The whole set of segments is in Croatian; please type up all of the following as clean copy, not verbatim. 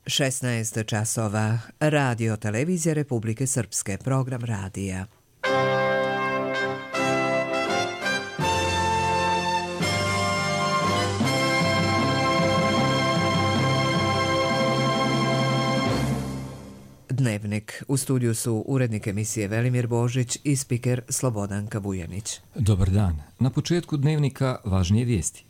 16 časova. Radio Televizija Republike Srpske. Program radija. Dnevnik. U studiju su urednik emisije Velimir Božić i spiker Slobodanka Vujanić. Dobar dan. Na početku dnevnika važnije vijesti.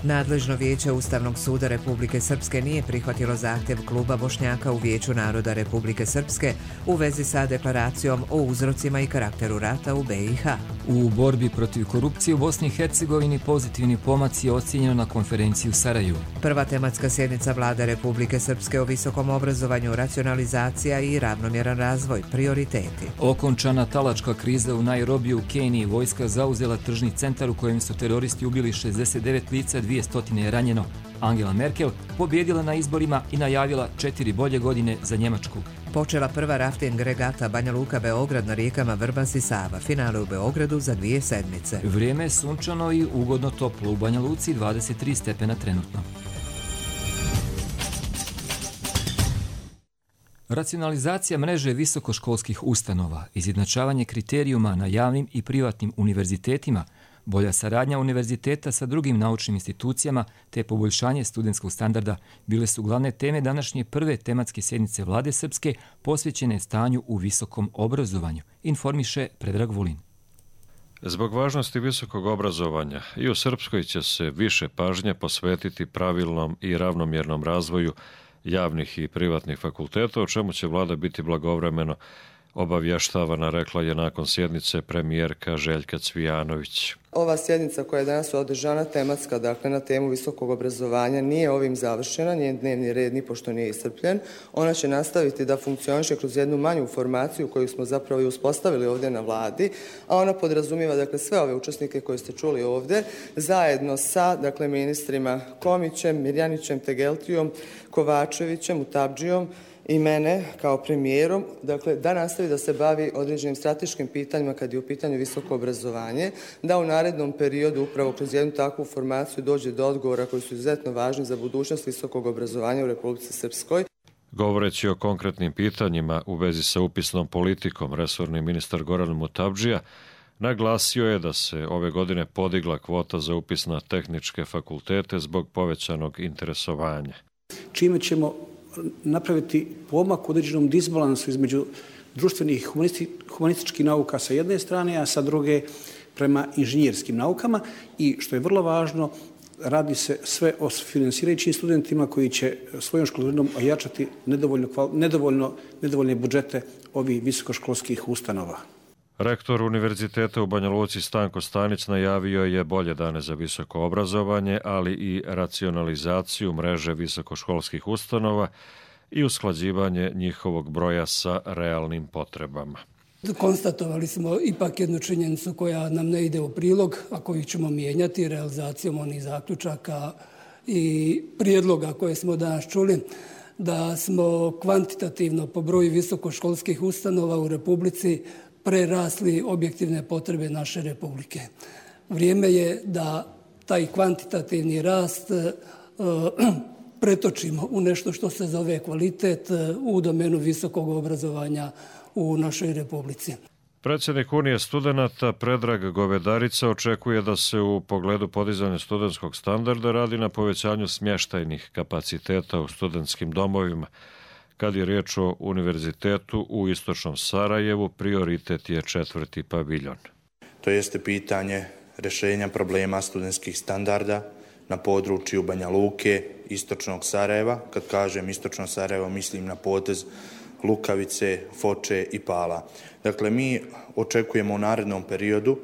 Nadležno vijeće Ustavnog suda Republike Srpske nije prihvatilo zahtjev kluba Bošnjaka u Vijeću naroda Republike Srpske u vezi sa deklaracijom o uzrocima i karakteru rata u BiH. U borbi protiv korupcije u Bosni i Hercegovini pozitivni pomaci je ocijenjeno na konferenciji u Sarajevu. Prva tematska sjednica Vlade Republike Srpske o visokom obrazovanju, racionalizacija i ravnomjeran razvoj, prioriteti. Okončana talačka kriza u Nairobiju u Keniji, vojska zauzela tržni centar u kojem su teroristi ubili 69 lica, 200 je ranjeno. Angela Merkel pobjedila na izborima i najavila 4 bolje godine za Njemačku. Počela prva rafting regata Banja Luka Beograd na rijekama Vrbas i Sava. Finale u Beogradu za 2 sedmice. Vrijeme je sunčano i ugodno toplo. U Banja Luci 23 stepena trenutno. Racionalizacija mreže visokoškolskih ustanova, izjednačavanje kriterijuma na javnim i privatnim univerzitetima, bolja saradnja univerziteta sa drugim naučnim institucijama te poboljšanje studentskog standarda bile su glavne teme današnje prve tematske sjednice Vlade Srpske posvećene stanju u visokom obrazovanju, informiše Predrag Vulin. Zbog važnosti visokog obrazovanja i u Srpskoj će se više pažnje posvetiti pravilnom i ravnomjernom razvoju javnih i privatnih fakulteta, o čemu će vlada biti blagovremeno obavještavana, rekla je nakon sjednice premijerka Željka Cvijanović. Ova sjednica koja je danas održana tematska, dakle na temu visokog obrazovanja, nije ovim završena, njen dnevni red nipošto nije iscrpljen. Ona će nastaviti da funkcioniše kroz jednu manju formaciju koju smo zapravo i uspostavili ovdje na vladi, a ona podrazumijeva dakle sve ove učesnike koje ste čuli ovdje, zajedno sa dakle ministrima Komićem, Mirjanićem, Tegeltijom, Kovačevićem, Utabdžijom i mene kao premijerom, dakle da nastavi da se bavi određenim strateškim pitanjima kad je u pitanju visoko obrazovanje, da u narednom periodu upravo kroz jednu takvu formaciju dođe do odgovora koji su izuzetno važni za budućnost visokog obrazovanja u Republici Srpskoj. Govoreći o konkretnim pitanjima u vezi sa upisnom politikom, resorni ministar Goran Mutabdžija naglasio je da se ove godine podigla kvota za upis na tehničke fakultete zbog povećanog interesovanja. Čime ćemo napraviti pomak u određenom disbalansu između društvenih humanističkih nauka sa jedne strane, a sa druge prema inženjerskim naukama i što je vrlo važno, radi se sve o finansirajućim studentima koji će svojom školarinom ojačati nedovoljne budžete ovih visokoškolskih ustanova. Rektor Univerziteta u Banja Luci Stanko Stanić najavio je bolje dane za visoko obrazovanje, ali i racionalizaciju mreže visokoškolskih ustanova i usklađivanje njihovog broja sa realnim potrebama. Konstatovali smo ipak jednu činjenicu koja nam ne ide u prilog, a koju ćemo mijenjati realizacijom onih zaključaka i prijedloga koje smo danas čuli, da smo kvantitativno po broju visokoškolskih ustanova u Republici prerasli objektivne potrebe naše Republike. Vrijeme je da taj kvantitativni rast pretočimo u nešto što se zove kvalitet u domenu visokog obrazovanja u našoj Republici. Predsjednik Unije studenata Predrag Govedarica očekuje da se u pogledu podizanja studentskog standarda radi na povećanju smještajnih kapaciteta u studentskim domovima. Kad je riječ o univerzitetu u istočnom Sarajevu, prioritet je 4. paviljon. To jeste pitanje rješenja problema studentskih standarda na području Banja Luke, istočnog Sarajeva. Kad kažem istočno Sarajevo, mislim na potez Lukavice, Foče i Pala. Dakle, mi očekujemo u narednom periodu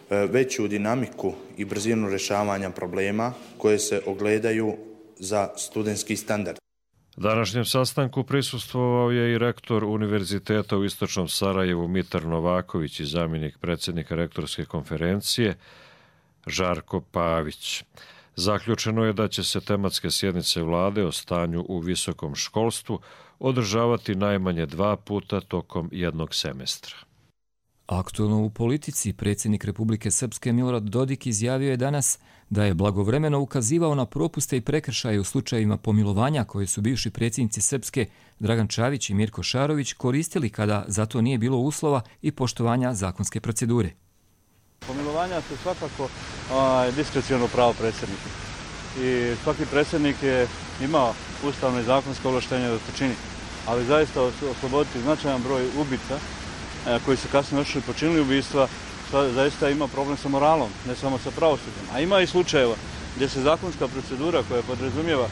veću dinamiku i brzinu rješavanja problema koje se ogledaju za studentski standard. Današnjem sastanku prisustvovao je i rektor Univerziteta u istočnom Sarajevu Mitar Novaković i zamjenik predsjednika rektorske konferencije Žarko Pavić. Zaključeno je da će se tematske sjednice vlade o stanju u visokom školstvu održavati najmanje 2 puta tokom jednog semestra. Aktualno u politici, predsjednik Republike Srpske Milorad Dodik izjavio je danas da je blagovremeno ukazivao na propuste i prekršaje u slučajevima pomilovanja koje su bivši predsjednici Srpske Dragan Čavić i Mirko Šarović koristili kada za to nije bilo uslova i poštovanja zakonske procedure. Pomilovanja su svakako diskreciono pravo predsjednika i svaki predsjednik je imao ustavno i zakonsko ovlaštenje da to čini, ali zaista osloboditi značajan broj ubica koji su kasnije otišli i počinili ubistva, zaista ima problem sa moralom, ne samo sa pravosuđem. A ima i slučajeva gdje se zakonska procedura koja podrazumijeva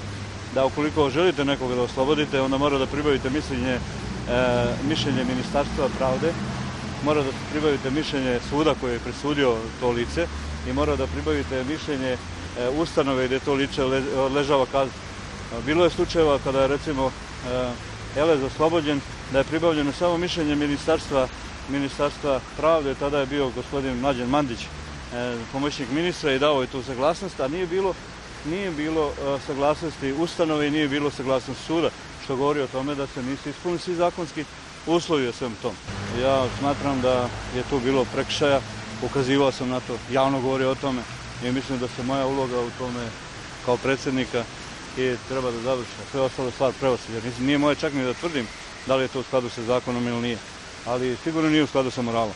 da ukoliko želite nekoga da oslobodite, onda mora da pribavite mišljenje Ministarstva pravde, mora da pribavite mišljenje suda koji je presudio to lice i mora da pribavite mišljenje ustanove gdje to lice odležava kaznu. Bilo je slučajeva kada je recimo Elez oslobođen, da je pribavljeno samo mišljenje Ministarstva pravde, tada je bio gospodin Mlađan Mandić, pomoćnik ministra, i dao je tu saglasnost, a nije bilo saglasnosti ustanove i nije bilo saglasnosti suda, što govori o tome da se nisu ispunili svi zakonski uslovi o svem tom. Ja smatram da je tu bilo prekršaja, ukazivao sam na to, javno govorio o tome i mislim da se moja uloga u tome kao predsjednika i treba da završi. Sve ostalo stvar pravosuđa. Nije moje čak ni da tvrdim da li je to u skladu sa zakonom ili nije, ali sigurno nije u skladu sa moralom.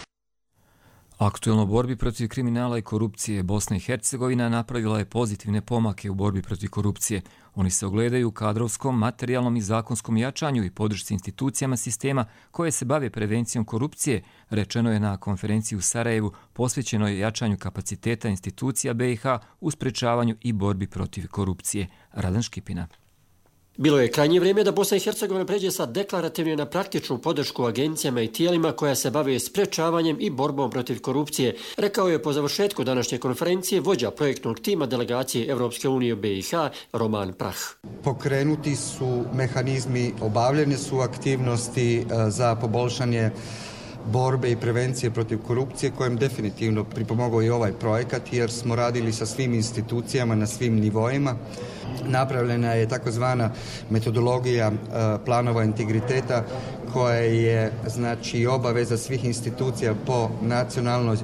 Aktuelno u borbi protiv kriminala i korupcije Bosna i Hercegovina napravila je pozitivne pomake u borbi protiv korupcije. Oni se ogledaju u kadrovskom, materijalnom i zakonskom jačanju i podršci institucijama sistema koje se bave prevencijom korupcije, rečeno je na konferenciji u Sarajevu posvećenoj jačanju kapaciteta institucija BiH u sprečavanju i borbi protiv korupcije. Radan Škipina. Bilo je krajnje vrijeme da Bosna i Hercegovina pređe sa deklarativne na praktičnu podršku agencijama i tijelima koja se bave sprečavanjem i borbom protiv korupcije, rekao je po završetku današnje konferencije vođa projektnog tima delegacije Evropske unije u BiH Roman Prah. Pokrenuti su mehanizmi, obavljene su aktivnosti za poboljšanje borbe i prevencije protiv korupcije, kojem definitivno pripomogao i ovaj projekat, jer smo radili sa svim institucijama na svim nivoima. Napravljena je takozvana metodologija planova integriteta koja je obaveza svih institucija po nacionalnoj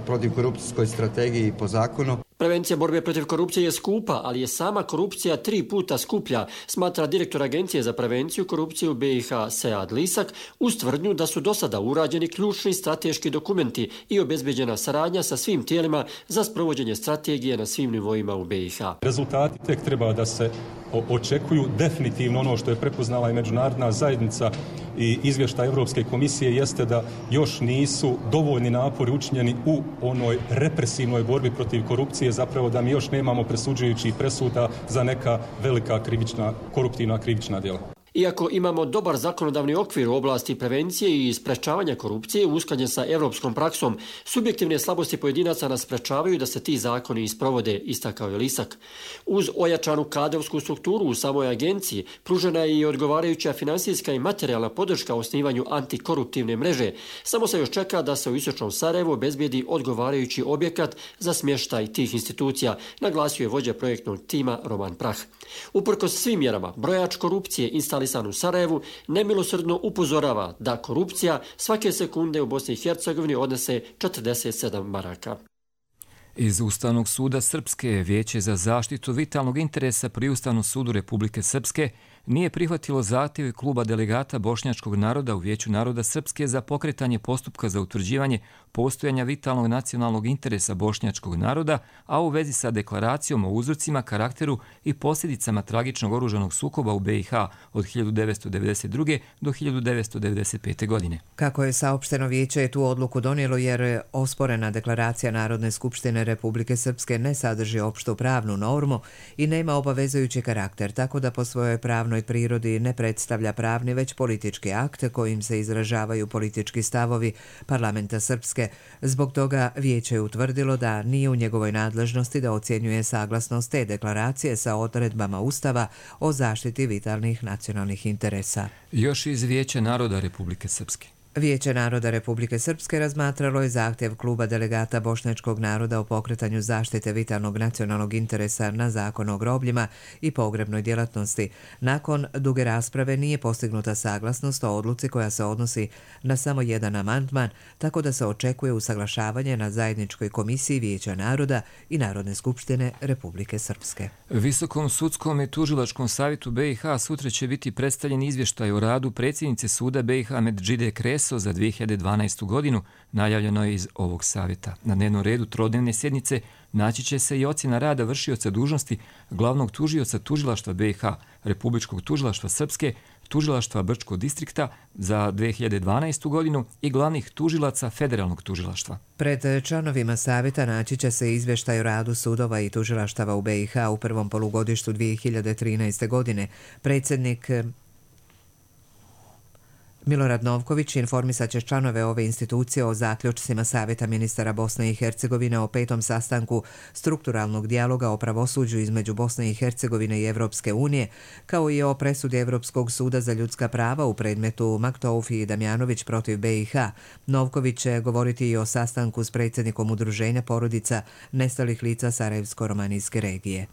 protivkorupcijskoj strategiji i po zakonu. Prevencija borbe protiv korupcije je skupa, ali je sama korupcija 3 puta skuplja, smatra direktor Agencije za prevenciju korupcije u BiH Sead Lisak, uz tvrdnju da su do sada urađeni ključni strateški dokumenti i obezbeđena saradnja sa svim tijelima za sprovođenje strategije na svim nivoima u BiH. Rezultati tek treba da se očekuju. Definitivno ono što je prepoznala i međunarodna zajednica i izvještaj Europske komisije jeste da još nisu dovoljni napori učinjeni u onoj represivnoj borbi protiv korupcije, zapravo da mi još nemamo presuđujućih presuda za neka velika koruptivna krivična djela. Iako imamo dobar zakonodavni okvir u oblasti prevencije i sprečavanja korupcije usklađen sa europskom praksom, subjektivne slabosti pojedinaca nas sprečavaju da se ti zakoni isprovode, istakao je Lisak. Uz ojačanu kadrovsku strukturu u samoj agenciji pružena je i odgovarajuća finansijska i materijalna podrška osnivanju antikoruptivne mreže. Samo se još čeka da se u istočnom Sarajevu obezbijedi odgovarajući objekat za smještaj tih institucija, naglasio je vođa projektnog tima Roman Prah. Uprkos svim mjerama, brojač korupcije instalisan u Sarajevu nemilosrdno upozorava da korupcija svake sekunde u Bosni i Hercegovini odnese 47 maraka. Iz Ustavnog suda Srpske Vijeće za zaštitu vitalnog interesa pri Ustavnom sudu Republike Srpske nije prihvatilo zahtjev kluba delegata bošnjačkog naroda u Vijeću naroda Srpske za pokretanje postupka za utvrđivanje postojanja vitalnog nacionalnog interesa bošnjačkog naroda, a u vezi sa deklaracijom o uzrocima, karakteru i posljedicama tragičnog oružanog sukoba u BiH od 1992. do 1995. godine. Kako je saopšteno, Vijeće je tu odluku donijelo jer osporena deklaracija Narodne skupštine Republike Srpske ne sadrži opštu pravnu normu i nema obavezujući karakter, tako da po svojoj pravnoj prirodi ne predstavlja pravni već politički akt kojim se izražavaju politički stavovi parlamenta Srpske. Zbog toga Vijeće je utvrdilo da nije u njegovoj nadležnosti da ocjenjuje saglasnost te deklaracije sa odredbama Ustava o zaštiti vitalnih nacionalnih interesa. Još iz Vijeća naroda Republike Srpske. Vijeće naroda Republike Srpske razmatralo je zahtjev kluba delegata bošnjačkog naroda o pokretanju zaštite vitalnog nacionalnog interesa na Zakon o grobljima i pogrebnoj djelatnosti. Nakon duge rasprave nije postignuta saglasnost o odluci koja se odnosi na samo jedan amandman, tako da se očekuje usaglašavanje na zajedničkoj komisiji Vijeća naroda i Narodne skupštine Republike Srpske. Visokom sudskom i tužilačkom savjetu BiH sutra će biti predstavljen izvještaj o radu predsjednice suda BiH Medžide Kreso za 2012. godinu, najavljeno je iz ovog savjeta. Na dnevnom redu trodnevne sjednice naći će se i ocjena rada vršioca dužnosti glavnog tužioca tužilaštva BiH, Republičkog tužilaštva Srpske, tužilaštva Brčkog distrikta za 2012. godinu i glavnih tužilaca federalnog tužilaštva. Pred članovima savjeta naći će se izvještaj o radu sudova i tužilaštava u BiH u prvom polugodištu 2013. godine. Predsjednik Milorad Novković informisat će članove ove institucije o zaključcima Savjeta ministara Bosne i Hercegovine o 5. sastanku strukturalnog dijaloga o pravosuđu između Bosne i Hercegovine i Evropske unije, kao i o presudi Evropskog suda za ljudska prava u predmetu Maktoufi i Damjanović protiv BiH. Novković će govoriti i o sastanku s predsjednikom Udruženja porodica nestalih lica Sarajevsko-romanijske regije.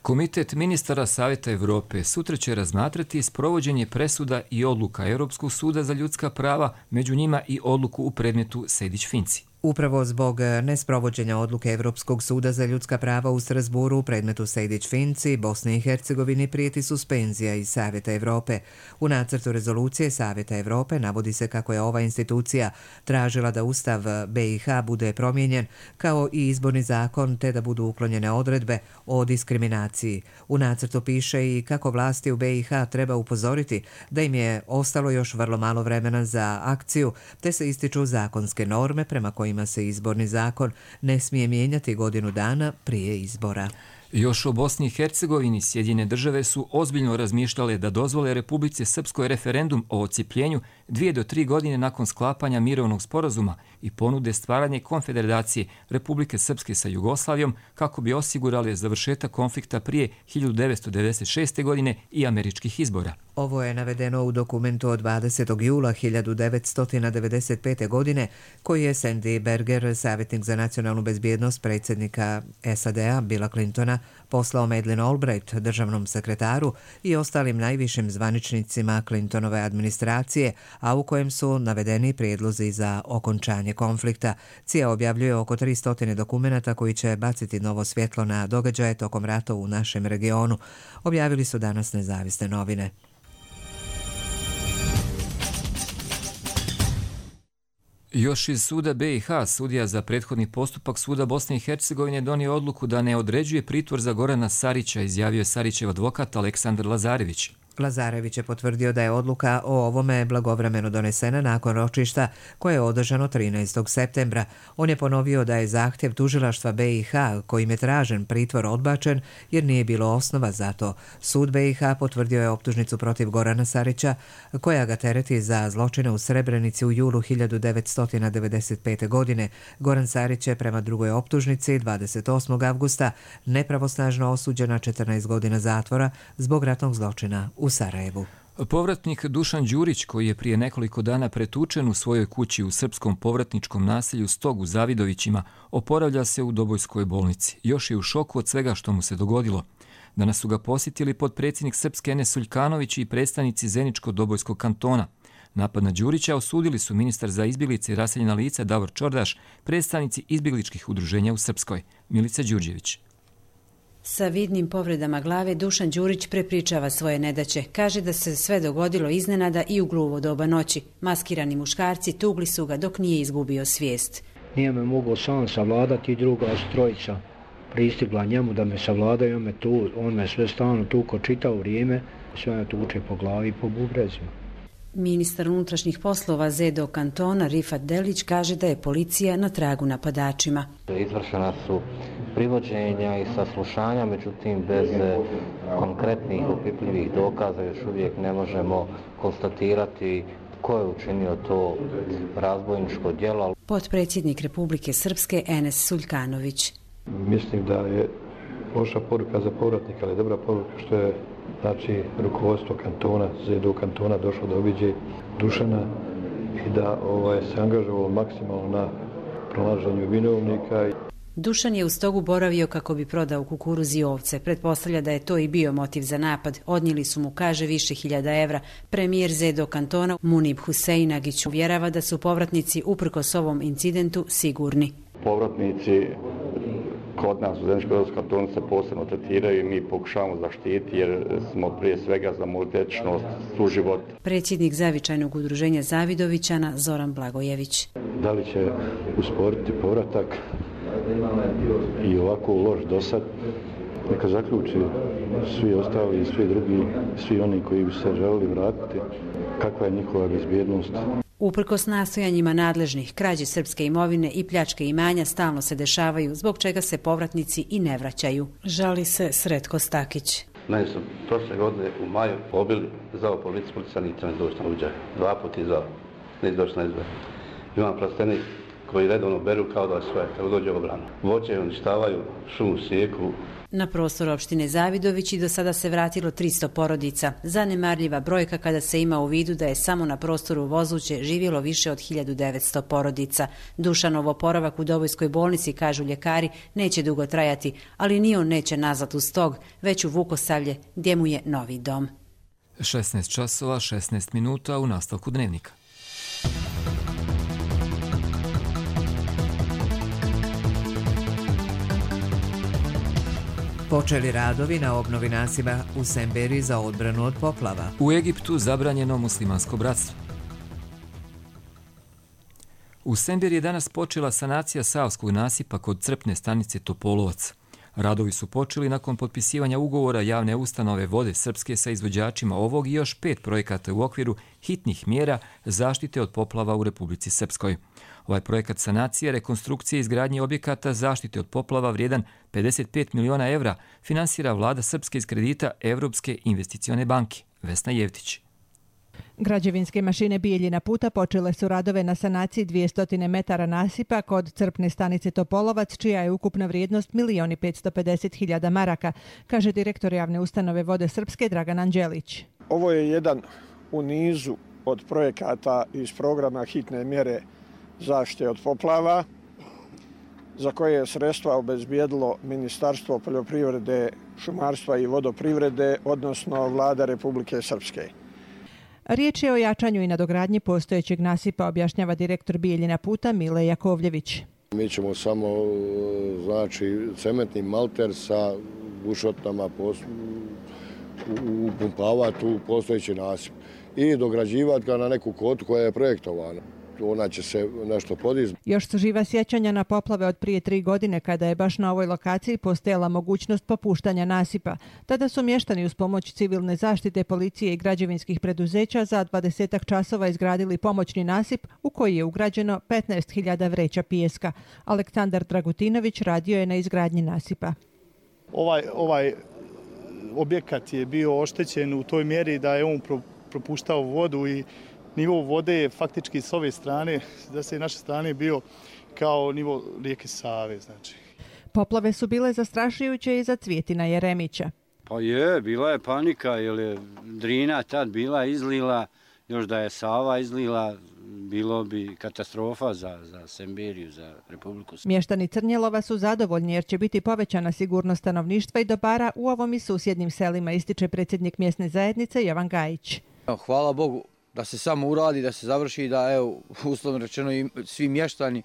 Komitet ministara Savjeta Evrope sutra će razmatrati sprovođenje presuda i odluka Europskog suda za ljudska prava, među njima i odluku u predmetu Sejdić-Finci. Upravo zbog nesprovođenja odluke Evropskog suda za ljudska prava u Strasburu u predmetu Sejdić-Finci, Bosni i Hercegovini prijeti suspenzija iz Savjeta Evrope. U nacrtu rezolucije Savjeta Evrope navodi se kako je ova institucija tražila da Ustav BiH bude promijenjen, kao i izborni zakon, te da budu uklonjene odredbe o diskriminaciji. U nacrtu piše i kako vlasti u BiH treba upozoriti da im je ostalo još vrlo malo vremena za akciju, te se ističu zakonske norme prema kojima se izborni zakon ne smije mijenjati godinu dana prije izbora. Još o Bosni i Hercegovini Sjedinjene države su ozbiljno razmišljale da dozvole Republici Srpskoj referendum o odcijepljenju 2 do 3 godine nakon sklapanja mirovnog sporazuma i ponude stvaranje konfederacije Republike Srpske sa Jugoslavijom kako bi osigurali završetak konflikta prije 1996. godine i američkih izbora. Ovo je navedeno u dokumentu od 20. jula 1995. godine koji je Sandy Berger, savjetnik za nacionalnu bezbjednost predsjednika SAD-a Billa Clintona, poslao Madeleine Albright, državnom sekretaru i ostalim najvišim zvaničnicima Clintonove administracije, a u kojem su navedeni prijedlozi za okončanje konflikta. CIA objavljuje oko 300 dokumenata koji će baciti novo svjetlo na događaje tokom rata u našem regionu. Objavili su danas nezavisne novine. Još iz suda BiH, sudija za prethodni postupak suda Bosne i Hercegovine donio odluku da ne određuje pritvor za Gorana Sarića, izjavio je Sarićev advokat Aleksandar Lazarević. Lazarević je potvrdio da je odluka o ovome blagovremeno donesena nakon ročišta koje je održano 13. septembra. On je ponovio da je zahtjev tužilaštva BiH kojim je tražen pritvor odbačen jer nije bilo osnova za to. Sud BiH potvrdio je optužnicu protiv Gorana Sarića koja ga tereti za zločine u Srebrenici u julu 1995. godine. Goran Sarić je prema drugoj optužnici 28. avgusta nepravosnažno osuđen na 14 godina zatvora zbog ratnog zločina u Sarajevu. Povratnik Dušan Đurić, koji je prije nekoliko dana pretučen u svojoj kući u srpskom povratničkom naselju Stog u Zavidovićima, oporavlja se u Dobojskoj bolnici. Još je u šoku od svega što mu se dogodilo. Danas su ga posjetili potpredsjednik Srpske Enes Suljkanović i predstavnici Zeničko-Dobojskog kantona. Napad na Đurića osudili su ministar za izbjeglice i raseljena lica Davor Čordaš, predstavnici izbjegličkih udruženja u Srpskoj, Milica Đurđević. Sa vidnim povredama glave Dušan Đurić prepričava svoje nedaće. Kaže da se sve dogodilo iznenada i u gluvo doba noći. Maskirani muškarci tugli su ga dok nije izgubio svijest. Nije me mogao sam savladati i druga trojica pristigla njemu da me savladaju, on me sve stalno tuko čitao vrijeme, sve me tuče po glavi i po bubrezima. Ministar unutrašnjih poslova Zedo kantona Rifat Delić kaže da je policija na tragu napadačima. Izvršena su privođenja i saslušanja, međutim bez konkretnih opipljivih dokaza još uvijek ne možemo konstatirati ko je učinio to razbojničko djelo. Potpredsjednik Republike Srpske Enes Suljkanović. Mislim da je loša poruka za povratnika, ali dobra poruka što je rukovodstvo kantona, ZDU kantona došlo da obiđe Dušana i da se angažovalo maksimalno na pronalaženju vinovnika. Dušan je u stogu boravio kako bi prodao kukuruz i ovce. Pretpostavlja da je to i bio motiv za napad. Odnijeli su mu, kaže, više hiljada evra. Premijer Zedo kantona Munib Huseinagić uvjerava da su povratnici uprkos ovom incidentu sigurni. Povratnici kod nas u Zeničko-Podravskom kantonu se posebno tretiraju i mi pokušavamo zaštiti jer smo prije svega za multietičnost, suživot. Predsjednik Zavičajnog udruženja Zavidovićana Zoran Blagojević. Da li će usporiti povratak i ovako loš dosad, neka zaključi svi ostali i svi drugi, svi oni koji bi se želeli vratiti, kakva je njihova bezbjednost. Uprkos nastojanjima nadležnih, krađe srpske imovine i pljačke imanja stalno se dešavaju, zbog čega se povratnici i ne vraćaju. Žali se Sretko Stakić. Meni su prošle godine u maju pobili, zvao policiju, policija niti ne doći na uđaj. 2 puta zvao, ne doći na izbor. Imam plastenik koji redovno beru kao da je svoje, kako dođe obrana. Voće uništavaju, šumu sijeku. Na prostor opštine Zavidović i do sada se vratilo 300 porodica. Zanemarljiva brojka kada se ima u vidu da je samo na prostoru Vozuće živjelo više od 1900 porodica. Dušanov oporavak u Dobojskoj bolnici, kažu ljekari, neće dugo trajati, ali ni on neće nazad u Stog, već u Vukosavlje, gdje mu je novi dom. 16 časova, 16 minuta u nastavku dnevnika. Počeli radovi na obnovi nasipa u Semberi za odbranu od poplava. U Egiptu zabranjeno muslimansko bratstvo. U Semberi je danas počela sanacija Savskog nasipa kod crpne stanice Topolovac. Radovi su počeli nakon potpisivanja ugovora javne ustanove Vode Srpske sa izvođačima ovog i još 5 projekata u okviru hitnih mjera zaštite od poplava u Republici Srpskoj. Ovaj projekat sanacije, rekonstrukcije i izgradnje objekata zaštite od poplava vrijedan 55 miliona evra finansira vlada Srpske iz kredita Evropske investicione banke. Vesna Jevtić. Građevinske mašine Bijeljina puta počele su radove na sanaciji 200 metara nasipa kod crpne stanice Topolovac, čija je ukupna vrijednost 1.550.000 maraka, kaže direktor javne ustanove Vode Srpske Dragan Anđelić. Ovo je jedan u nizu od projekata iz programa hitne mjere zaštite od poplava, za koje je sredstva obezbijedilo Ministarstvo poljoprivrede, šumarstva i vodoprivrede, odnosno vlada Republike Srpske. Riječ je o jačanju i nadogradnji postojećeg nasipa, objašnjava direktor Bijeljina puta Mile Jakovljević. Mi ćemo samo cementni malter sa bušotama upumpavati u postojeći nasip i dograđivati ga na neku kotu koja je projektovana. Ona će se nešto podizati. Još su živa sjećanja na poplave od prije 3 godine kada je baš na ovoj lokaciji postojala mogućnost popuštanja nasipa. Tada su mještani uz pomoć civilne zaštite, policije i građevinskih preduzeća za 20 časova izgradili pomoćni nasip u koji je ugrađeno 15.000 vreća pijeska. Aleksandar Dragutinović radio je na izgradnji nasipa. Ovaj objekat je bio oštećen u toj mjeri da je on propuštao vodu i nivo vode je faktički s ove strane, da se naše strane bio kao nivo rijeke Save. Znači. Poplave su bile zastrašujuće i za Cvjetina Jeremića. Pa bila je panika jer je Drina tad bila izlila, još da je Sava izlila, bilo bi katastrofa za Semberiju, za Republiku. Mještani Crnjelova su zadovoljni jer će biti povećana sigurnost stanovništva i dobara u ovom i susjednim selima, ističe predsjednik mjesne zajednice Jovan Gajić. Hvala Bogu da se samo uradi, da se završi, da evo, uslovno rečeno i svi mještani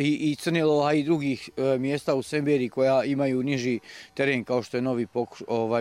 i Crnjelova i drugih mjesta u Semberiji koja imaju niži teren kao što je Novi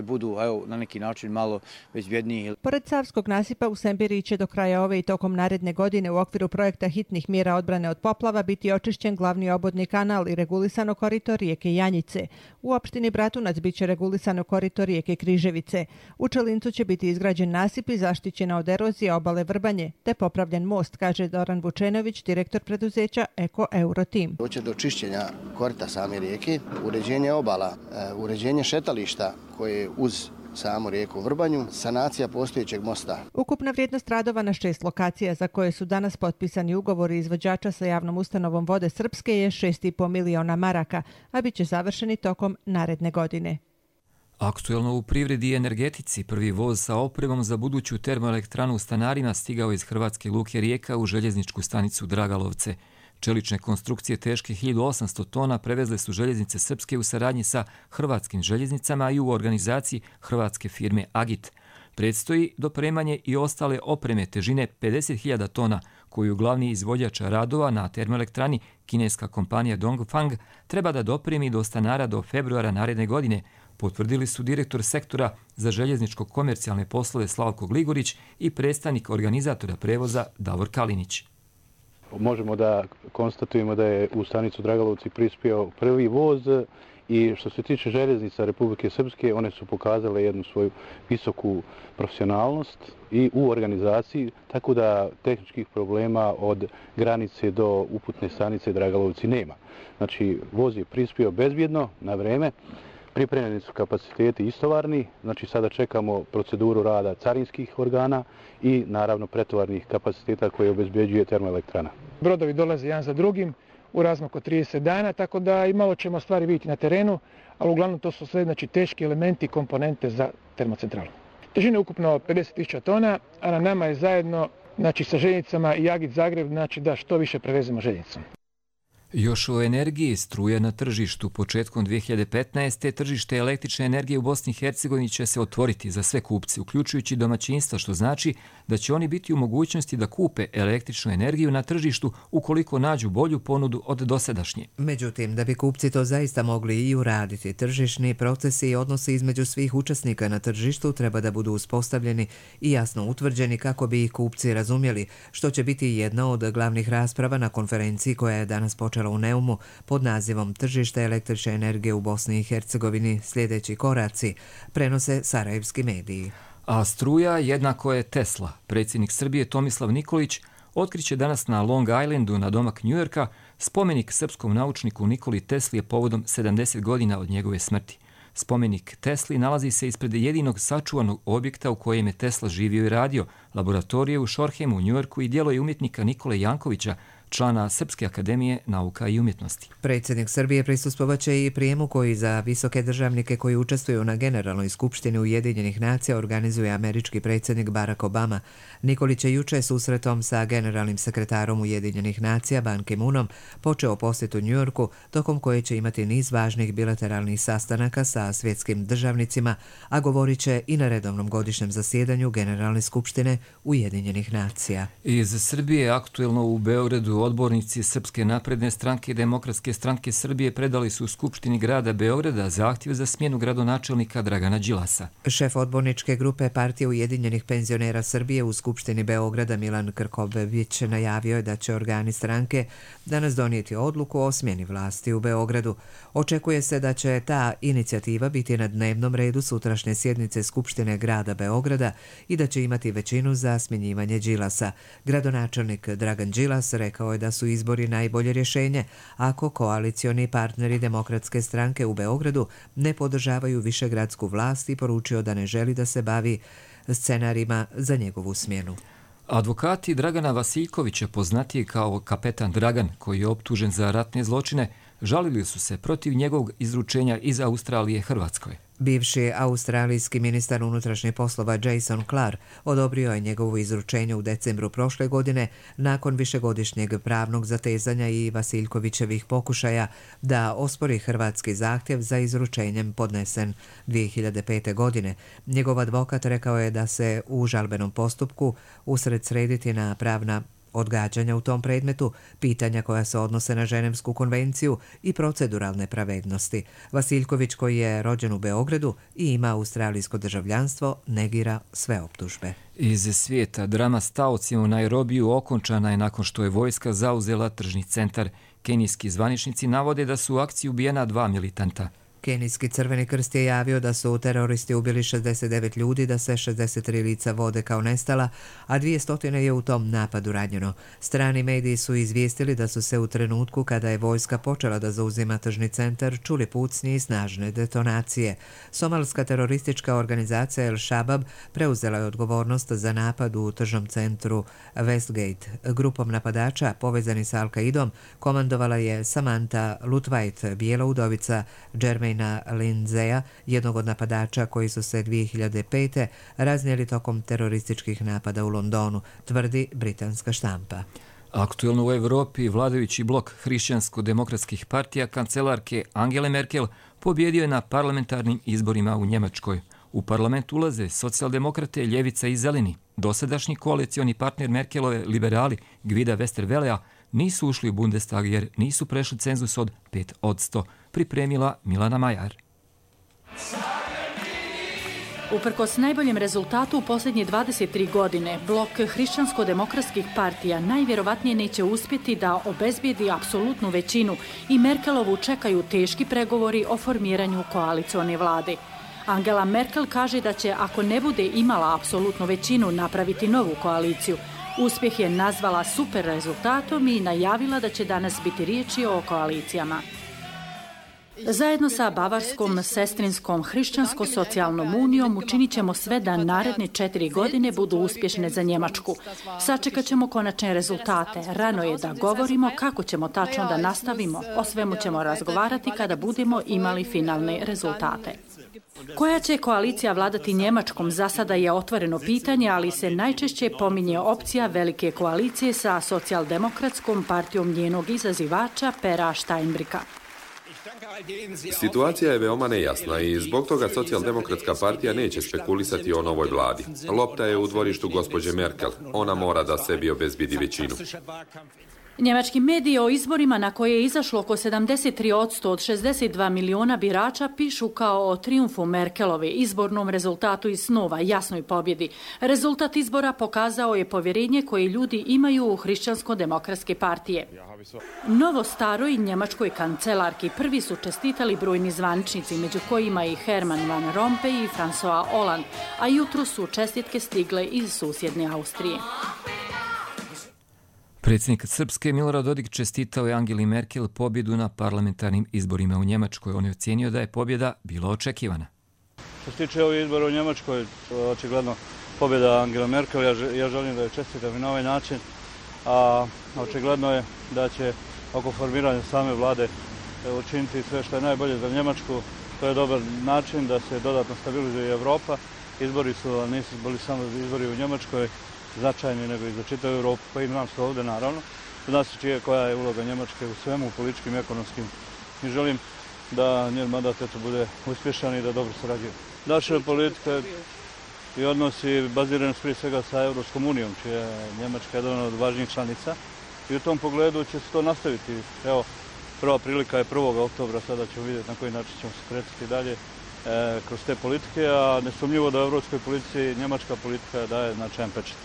budu na neki način malo bezbjedniji. Pored Savskog nasipa u Semberiji će do kraja ove i tokom naredne godine u okviru projekta hitnih mjera odbrane od poplava biti očišćen glavni obodni kanal i regulisano korito rijeke Janjice. U opštini Bratunac bit će regulisano korito rijeke Križevice. U Čelincu će biti izgrađen nasip i zaštićena od erozije obale Vrbanje, te popravljen most, kaže Doran Vučenović, direktor preduzeća Eko Eurotim. Doće do čišćenja korita same rijeke, uređenje obala, uređenje šetališta koje je uz samu rijeku Vrbanju, sanacija postojećeg mosta. Ukupna vrijednost radova na 6 lokacija za koje su danas potpisani ugovori izvođača sa javnom ustanovom Vode Srpske je 6,5 miliona maraka, a bit će završeni tokom naredne godine. Aktuelno u privredi i energetici prvi voz sa opremom za buduću termoelektranu u Stanarima stigao iz Hrvatske luke Rijeka u željezničku stanicu Dragalovce. Čelične konstrukcije teške 1800 tona prevezle su željeznice Srpske u saradnji sa hrvatskim željeznicama i u organizaciji hrvatske firme Agit. Predstoji dopremanje i ostale opreme težine 50.000 tona, koju glavni izvođač radova na termoelektrani, kineska kompanija Dongfang, treba da dopremi do Stanara do februara naredne godine, potvrdili su direktor sektora za željezničko-komercijalne poslove Slavko Gligorić i predstavnik organizatora prevoza Davor Kalinić. Možemo da konstatujemo da je u stanicu Dragalovci prispio prvi voz i što se tiče željeznica Republike Srpske, one su pokazale jednu svoju visoku profesionalnost i u organizaciji, tako da tehničkih problema od granice do uputne stanice Dragalovci nema. Znači, voz je prispio bezbjedno, na vreme, pripremljeni su kapaciteti istovarni, znači sada čekamo proceduru rada carinskih organa i naravno pretovarnih kapaciteta koje obezbeđuje termoelektrana. Brodovi dolaze jedan za drugim u razmaku od 30 dana, tako da i malo ćemo stvari vidjeti na terenu, ali uglavnom to su sve teški elementi i komponente za termocentralu. Težina je ukupno 50.000 tona, a na nama je zajedno sa željeznicama i Agit Zagreb da što više prevezemo željeznicom. Još o energiji, struja na tržištu. Početkom 2015. tržište električne energije u Bosni i Hercegovini će se otvoriti za sve kupce, uključujući domaćinstva, što znači da će oni biti u mogućnosti da kupe električnu energiju na tržištu ukoliko nađu bolju ponudu od dosadašnje. Međutim, da bi kupci to zaista mogli i uraditi, tržišni procesi i odnosi između svih učesnika na tržištu treba da budu uspostavljeni i jasno utvrđeni kako bi ih kupci razumjeli, što će biti jedna od glavnih rasprava na konferenciji koja je danas počela u Neumu pod nazivom Tržište električne energije u Bosni i Hercegovini, sljedeći koraci, prenose sarajevski mediji. A struja jednako je Tesla. Predsjednik Srbije Tomislav Nikolić otkriće danas na Long Islandu na domak Njujorka spomenik srpskom naučniku Nikoli Tesli je povodom 70 godina od njegove smrti. Spomenik Tesli nalazi se ispred jedinog sačuvanog objekta u kojem je Tesla živio i radio, laboratorije u Shorehemu u Njujorku i djelo je umjetnika Nikole Jankovića, člana Srpske akademije nauka i umjetnosti. Predsjednik Srbije prisustvovaće i prijemu koji za visoke državnike koji učestvuju na Generalnoj skupštini Ujedinjenih nacija organizuje američki predsjednik Barack Obama. Nikolić je juče susretom sa generalnim sekretarom Ujedinjenih nacija Ban Ki-moonom počeo posjetu Njujorku, tokom koje će imati niz važnih bilateralnih sastanaka sa svjetskim državnicima, a govorit će i na redovnom godišnjem zasjedanju Generalne skupštine Ujedinjenih nacija. Iz Srbije aktuelno u Beogradu odbornici Srpske napredne stranke i Demokratske stranke Srbije predali su u Skupštini grada Beograda zahtjev za smjenu gradonačelnika Dragana Đilasa. Šef odborničke grupe Partije Ujedinjenih penzionera Srbije u Skupštini Beograda Milan Krkobević najavio je da će organi stranke danas donijeti odluku o smjeni vlasti u Beogradu. Očekuje se da će ta inicijativa biti na dnevnom redu sutrašnje sjednice Skupštine grada Beograda i da će imati većinu za smjenjivanje Đilasa. Gradonačelnik Dragan Đilas rekao je da su izbori najbolje rješenje ako koalicioni partneri Demokratske stranke u Beogradu ne podržavaju višegradsku vlast i poručio da ne želi da se bavi scenarijima za njegovu smjenu. Advokati Dragana Vasiljkovića, poznatiji kao kapetan Dragan, koji je optužen za ratne zločine, žalili su se protiv njegovog izručenja iz Australije Hrvatskoj. Bivši australijski ministar unutrašnjih poslova Jason Clark odobrio je njegovo izručenje u decembru prošle godine nakon višegodišnjeg pravnog zatezanja i Vasiljkovićevih pokušaja da ospori hrvatski zahtjev za izručenjem podnesen 2005. godine. Njegov advokat rekao je da se u žalbenom postupku usred srediti na pravna odgađanja u tom predmetu, pitanja koja se odnose na Ženevsku konvenciju i proceduralne pravednosti. Vasiljković, koji je rođen u Beogradu i ima australijsko državljanstvo, negira sve optužbe. Iz svijeta drama s taocima u Nairobiju okončana je nakon što je vojska zauzela tržni centar. Kenijski zvaničnici navode da su u akciji ubijena 2 militanta. Kenijski Crveni krst je javio da su teroristi ubili 69 ljudi, da se 63 lica vode kao nestala, a 200 je u tom napadu ranjeno. Strani mediji su izvijestili da su se u trenutku kada je vojska počela da zauzima tržni centar čuli pucnje i snažne detonacije. Somalska teroristička organizacija El Shabab preuzela je odgovornost za napad u tržnom centru Westgate. Grupom napadača povezani sa Al-Qaidom komandovala je Samantha Lutwait, bijela udovica Jermaine Wayna Lindseya, jednog od napadača koji su se 2005. raznijeli tokom terorističkih napada u Londonu, tvrdi britanska štampa. Aktuelno u Evropi vladajući blok hrišćansko-demokratskih partija kancelarke Angele Merkel pobjedio je na parlamentarnim izborima u Njemačkoj. U parlament ulaze socijaldemokrate, ljevica i zeleni. Dosadašnji koalicioni partner Merkelove liberali Gvida Westervelea nisu ušli u Bundestag jer nisu prešli cenzus od 5%, pripremila Milana Majar. Uprkos najboljem rezultatu u posljednje 23 godine, blok hrišćansko-demokratskih partija najvjerovatnije neće uspjeti da obezbijedi apsolutnu većinu i Merkelovu čekaju teški pregovori o formiranju koalicione vlade. Angela Merkel kaže da će, ako ne bude imala apsolutnu većinu, napraviti novu koaliciju. Uspjeh je nazvala super rezultatom i najavila da će danas biti riječi o koalicijama. Zajedno sa Bavarskom sestrinskom hrišćansko-socijalnom unijom učinit ćemo sve da naredne 4 godine budu uspješne za Njemačku. Sačekat ćemo konačne rezultate. Rano je da govorimo kako ćemo tačno da nastavimo. O svemu ćemo razgovarati kada budemo imali finalne rezultate. Koja će koalicija vladati Njemačkom za sada je otvoreno pitanje, ali se najčešće pominje opcija velike koalicije sa socijaldemokratskom partijom njenog izazivača Pera Steinbrücka. Situacija je veoma nejasna i zbog toga socijaldemokratska partija neće spekulisati o novoj vladi. Lopta je u dvorištu gospođe Merkel. Ona mora da sebi obezbidi većinu. Njemački mediji o izborima na koje je izašlo oko 73% od 62 miliona birača pišu kao o trijumfu Merkelove, izbornom rezultatu iz snova, jasnoj pobjedi. Rezultat izbora pokazao je povjerenje koje ljudi imaju u hrišćansko-demokratske partije. Novo staroj njemačkoj kancelarki prvi su čestitali brojni zvaničnici, među kojima i Herman van Rompuy i François Hollande, a jutro su čestitke stigle iz susjedne Austrije. Predsjednik Srpske Milorad Dodik čestitao je Angeli Merkel pobjedu na parlamentarnim izborima u Njemačkoj. On je ocijenio da je pobjeda bila očekivana. Što se tiče ovih izbora u Njemačkoj, očigledno pobjeda Angela Merkel, ja želim da je čestitam i na ovaj način, a očigledno je da će oko formiranja same vlade učiniti sve što je najbolje za Njemačku. To je dobar način da se dodatno stabilizuje Evropa. Izbori su, nisu bili samo izbori u Njemačkoj, značajni nego i za čitavu Europu, pa i nam se ovdje naravno. Zna se koja je uloga Njemačke u svemu, u političkim i ekonomskim. I želim da njen mandat bude uspješan i da dobro sarađuje. Naša politika i odnosi bazirani prije svega sa Europskom unijom, čija je Njemačka jedna od važnijih članica. I u tom pogledu će se to nastaviti. Evo, prva prilika je 1. oktobra, sada ćemo vidjeti na koji način ćemo se kretati dalje kroz te politike, a nesumnjivo da u evropskoj politici njemačka politika daje značajan pečat.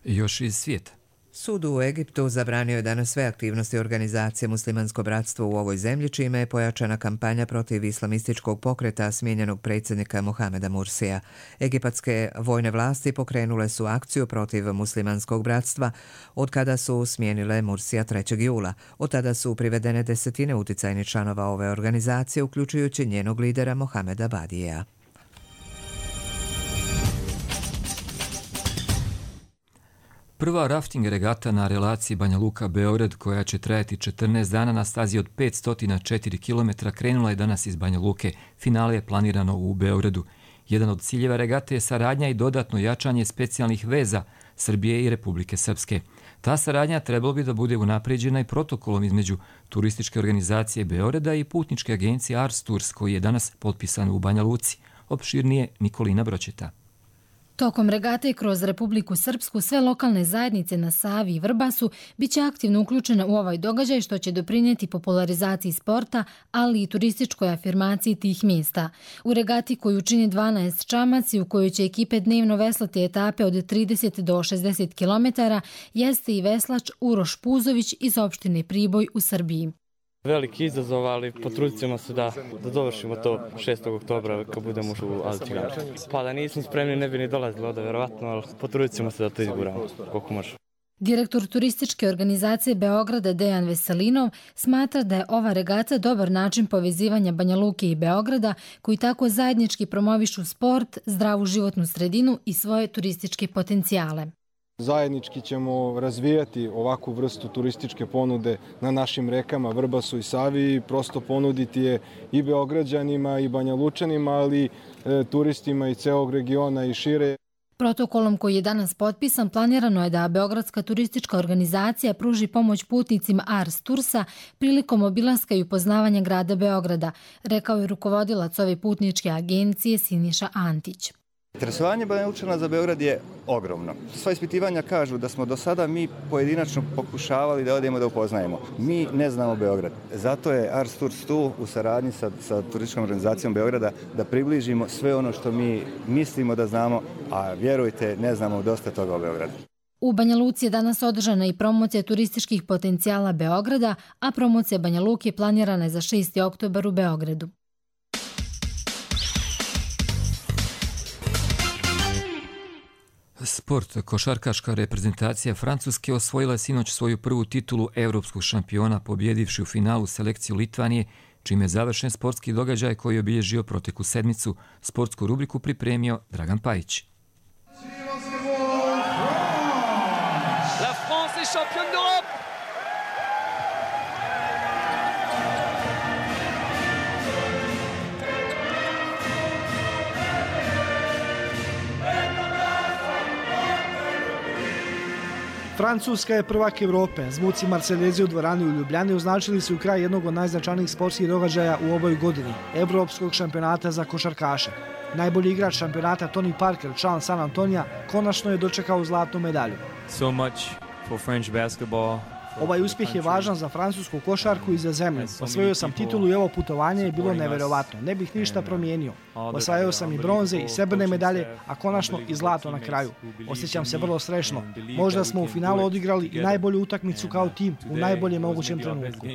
Još iz svijeta. Sud u Egiptu zabranio je danas sve aktivnosti organizacije Muslimansko bratstvo u ovoj zemlji, čime je pojačana kampanja protiv islamističkog pokreta smijenjenog predsjednika Mohameda Mursija. Egipatske vojne vlasti pokrenule su akciju protiv Muslimanskog bratstva od kada su smijenile Mursija 3. jula. Od tada su privedene desetine uticajnih članova ove organizacije, uključujući njenog lidera Mohameda Badijeja. Prva rafting regata na relaciji Banja Luka-Beograd, koja će trajati 14 dana na stazi od 504 km, krenula je danas iz Banja Luke. Finale je planirano u Beogradu. Jedan od ciljeva regate je saradnja i dodatno jačanje specijalnih veza Srbije i Republike Srpske. Ta saradnja trebalo bi da bude unapređena i protokolom između turističke organizacije Beograda i putničke agencije Ars Tours, koji je danas potpisan u Banja Luci. Opširnije Nikolina Bročeta. Tokom regate kroz Republiku Srpsku sve lokalne zajednice na Savi i Vrbasu biće aktivno uključene u ovaj događaj, što će doprinijeti popularizaciji sporta, ali i turističkoj afirmaciji tih mjesta. U regati koju čini 12 čamaci, u kojoj će ekipe dnevno veslati etape od 30 do 60 km, jeste i veslač Uroš Puzović iz opštine Priboj u Srbiji. Veliki izazov, ali potrudit ćemo se da dovršimo to 6. oktobra kad budemo u Alciganu. Pa da nismo spremni ne bi ni dolazili ovdje, verovatno, ali potrudit ćemo se da to izguramo koliko može. Direktor turističke organizacije Beograda Dejan Veselinov smatra da je ova regata dobar način povezivanja Banja Luke i Beograda, koji tako zajednički promovišu sport, zdravu životnu sredinu i svoje turističke potencijale. Zajednički ćemo razvijati ovakvu vrstu turističke ponude na našim rekama Vrbasu i Savi i prosto ponuditi je i Beograđanima i Banjalučanima, ali turistima i celog regiona i šire. Protokolom koji je danas potpisan planirano je da Beogradska turistička organizacija pruži pomoć putnicima Ars Tursa prilikom obilaska i upoznavanja grada Beograda, rekao je rukovodilac ove putničke agencije Siniša Antić. Interesovanje Banjalučana za Beograd je ogromno. Sva ispitivanja kažu da smo do sada mi pojedinačno pokušavali da odemo da upoznajemo. Mi ne znamo Beograd. Zato je Ars Tours tu u saradnji sa turističkom organizacijom Beograda da približimo sve ono što mi mislimo da znamo, a vjerujte, ne znamo dosta toga o Beogradu. U Banja Luci je danas održana i promocija turističkih potencijala Beograda, a promocija Banja Luke planirana je za 6. oktobar u Beogradu. Sport. Košarkaška reprezentacija Francuske osvojila je sinoć svoju prvu titulu evropskog šampiona pobjedivši u finalu selekciju Litvanije, čime je završen sportski događaj koji je obilježio proteklu sedmicu. Sportsku rubriku pripremio Dragan Pajić. La France est championne d'Europe. Francuska je prvak Evrope. Zvuci Marseljezi u dvorani u Ljubljani označili su kraj jednog od najznačajnijih sportskih događaja u ovoj godini, Evropskog šampionata za košarkaše. Najbolji igrač šampionata Tony Parker, član San Antonija, konačno je dočekao zlatnu medalju. So much for French basketball. Ovaj uspjeh je važan za francusku košarku i za zemlju. Osvojio sam titulu i ovo putovanje je bilo neverovatno. Ne bih ništa promijenio. Osvajao sam i bronze i srebrne medalje, a konačno i zlato na kraju. Osjećam se vrlo srećno. Možda smo u finalu odigrali i najbolju utakmicu kao tim u najboljem mogućem trenutku.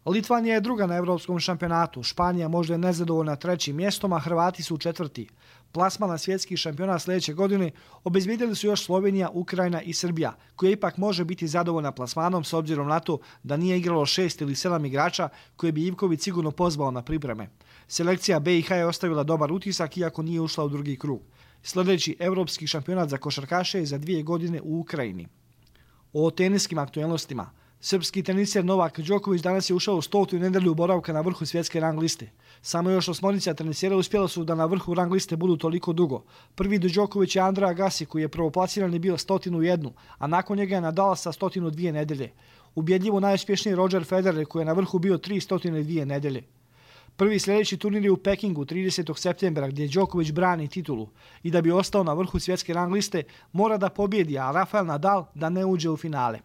Litvanija je druga na evropskom šampionatu. Španija možda je nezadovoljna 3. mjestom, a Hrvati su 4. Plasman na svjetski šampionat sljedeće godine obezbijedili su još Slovenija, Ukrajina i Srbija, koja ipak može biti zadovoljna plasmanom s obzirom na to da nije igralo 6 ili 7 igrača koje bi Ivković sigurno pozvao na pripreme. Selekcija BiH je ostavila dobar utisak iako nije ušla u drugi krug. Sljedeći evropski šampionat za košarkaše je za 2 godine u Ukrajini. O teniskim aktualnostima. Srpski teniser Novak Đoković danas je ušao u 100. nedelju boravka na vrhu svjetske rang liste. Samo još 8 tenisera uspjela su da na vrhu rang liste budu toliko dugo. Prvi do Đoković je Andrea Agassi koji je prvoplasiran i bio 101, a nakon njega je Nadal sa 102 nedelje. Ubjedljivo najuspješniji Roger Federer koji je na vrhu bio 302 nedelje. Prvi sljedeći turnir je u Pekingu 30. septembra gdje Đoković brani titulu i da bi ostao na vrhu svjetske rang liste mora da pobjedi, a Rafael Nadal da ne uđe u finale.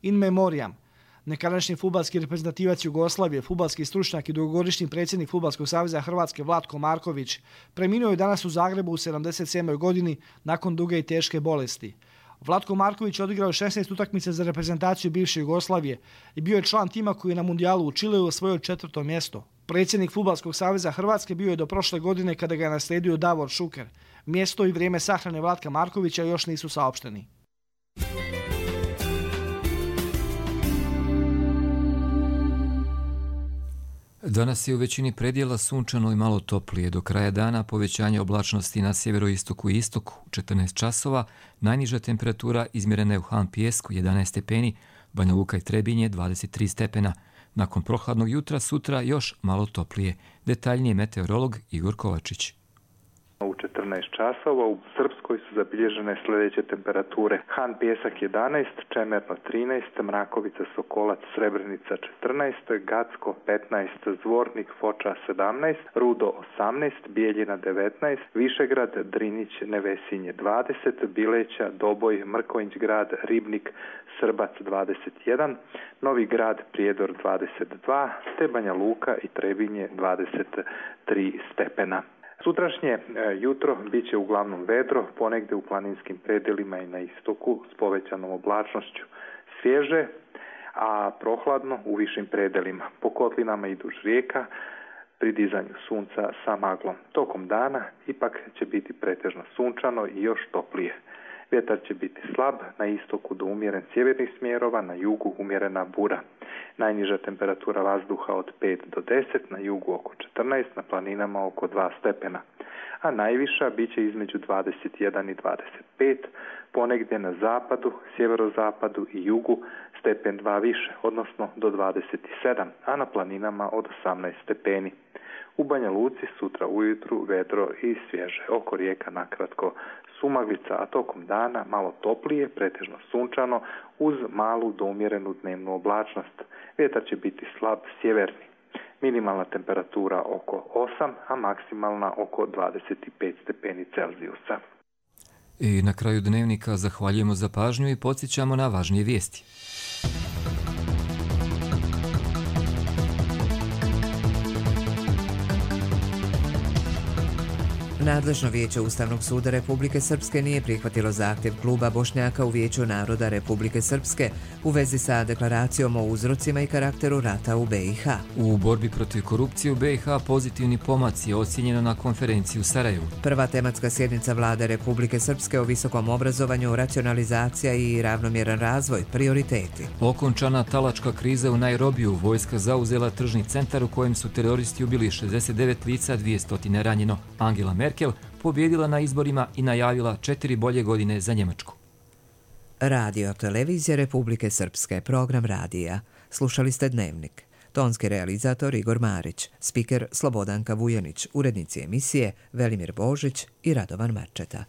In memoriam. Nekadašnji fudbalski reprezentativac Jugoslavije, fudbalski stručnjak i dugogodišnji predsjednik Fudbalskog saveza Hrvatske Vlatko Marković preminuo je danas u Zagrebu u 77. godini nakon duge i teške bolesti. Vlatko Marković odigrao 16 utakmica za reprezentaciju bivše Jugoslavije i bio je član tima koji je na mundijalu u Čileu osvojio 4. mjesto. Predsjednik Fudbalskog saveza Hrvatske bio je do prošle godine kada ga je naslijedio Davor Šuker. Mjesto i vrijeme sahrane Vlatka Markovića još nisu saopšteni. Danas je u većini predjela sunčano i malo toplije. Do kraja dana povećanje oblačnosti na sjeveroistoku i istoku 14 časova, najniža temperatura izmjerena je u Han Pijesku 11 stepeni, Banja Luka i Trebinje 23 stepena. Nakon prohladnog jutra sutra još malo toplije. Detaljnije meteorolog Igor Kovačić. U 14 časova u Srpskoj su zabilježene sljedeće temperature. Han Pijesak 11, Čemerno 13, Mrakovica, Sokolac, Srebrenica 14, Gacko 15, Zvornik, Foča 17, Rudo 18, Bijeljina 19, Višegrad, Drinić, Nevesinje 20, Bileća, Doboj, Mrkonjić grad, Ribnik, Srbac 21, Novi grad, Prijedor 22, te Banja Luka i Trebinje 23 stepena. Sutrašnje jutro bit će uglavnom vedro, ponegde u planinskim predjelima i na istoku s povećanom oblačnošću. Svježe, a prohladno u višim predjelima. Po kotlinama i duž rijeka pri dizanju sunca sa maglom. Tokom dana ipak će biti pretežno sunčano i još toplije. Vjetar će biti slab, na istoku do umjeren sjevernih smjerova, na jugu umjerena bura. Najniža temperatura vazduha od 5 do 10, na jugu oko 14, na planinama oko 2 stepena. A najviša bit će između 21 i 25, ponegdje na zapadu, sjeverozapadu i jugu stepen 2 više, odnosno do 27, a na planinama od 18 stepeni. U Banja Luci sutra ujutru vedro i svježe, oko rijeka nakratko sumaglica, a tokom dana malo toplije, pretežno sunčano, uz malu do umjerenu dnevnu oblačnost. Vjetar će biti slab sjeverni. Minimalna temperatura oko 8, a maksimalna oko 25 stepeni Celzijusa. I na kraju dnevnika zahvaljujemo za pažnju i podsjećamo na važnije vijesti. Nadležno vijeće Ustavnog suda Republike Srpske nije prihvatilo zahtjev kluba Bošnjaka u Vijeću naroda Republike Srpske u vezi sa deklaracijom o uzrocima i karakteru rata u BiH. U borbi protiv korupcije u BiH pozitivni pomaci je ocjenjeno na konferenciji u Sarajevu. Prva tematska sjednica Vlade Republike Srpske o visokom obrazovanju, racionalizacija i ravnomjeran razvoj, prioriteti. Okončana talačka kriza u Nairobiju, vojska zauzela tržni centar u kojem su teroristi ubili 69 lica, 200 ranjeno. Angela Merkel pobjedila na izborima i najavila 4 bolje godine za Njemačku. Radio televizija Republike Srpske, program radija. Slušali ste Dnevnik. Tonski realizator Igor Marić, spiker Slobodanka Vujanić, urednici emisije Velimir Božić i Radovan Marčeta.